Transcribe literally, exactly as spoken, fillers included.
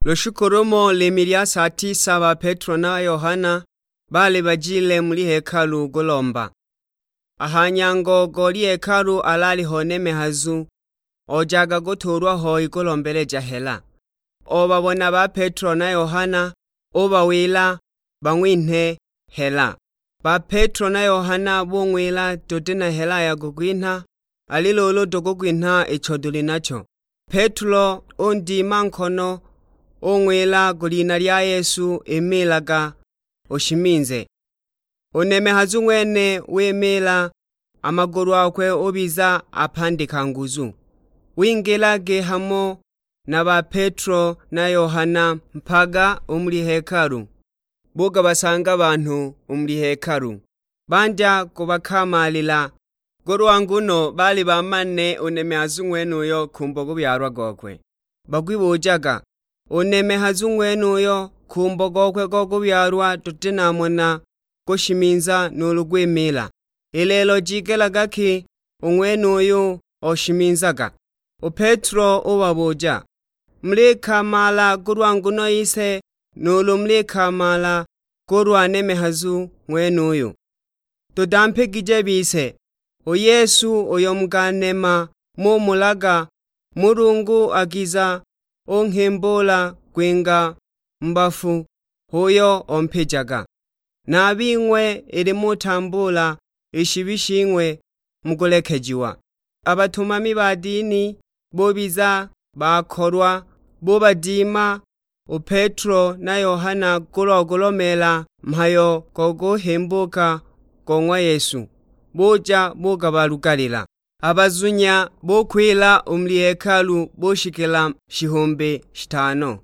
Lushiku lumo limhi lya saa tisa ba Petro na Yohana baali bajile muli hekalu kulomba. A ha nyango go lyhekalu alaaliho nemehazu ojaga kutuulwa hoi kulombeleja hela. Obabona ba Petro na Yohana, ubawila bang'winhe hela. Ba Petro na Yohana bung'wila, "Tuti na hela ya kukwinha, ali luulu tukugwinha icho tuli nacho." Petro undima nkono, ung'wila, "Ku lina lya Yesu imiilaga, ushiminze." U nemehazu ng'wene wimiila, a magulu akwe ubiza apandika nguzu. Wingila gihamo na ba Petro na Yohana mpaga u muli hekalu. Bugabasanga banhu u muli hekalu, bandya kubakamaalila, kulwa nguno baali bamanile u nemehazu ng'wenuyo kumbo kubyalwa gokwe. Bagwibujaga, "U nemehazu ng'wenuyo kumbo gokwe go kubyalwa tuti namona gushiminza nuulu gwimiila. I lelo jigelaga ki u ng'wenuyu oshiminzaga?" U Petro ubabuja, "Mulikamaala kulwa nguno yise, nuulu mulikamaala kulwa nemehazu ng'wenuyu? Tudampigije bise, u Yesu uyo mukanema mumulaga, Mulungu akiza unghimbula kwinga mu bafu, h'uyo ompijaga. Na a bing'we ili mutambuula i shibi shing'we mukulekejiwa." A batumami ba dini bubiza bakolwa, bubadima u Petro na Yohana kulwa kulomeela mhayo go kuhimbuka go ng'wa Yesu, buja bugabalugalila. A bazunya bukwila u muli hekalu bushikila shihumbi shitano.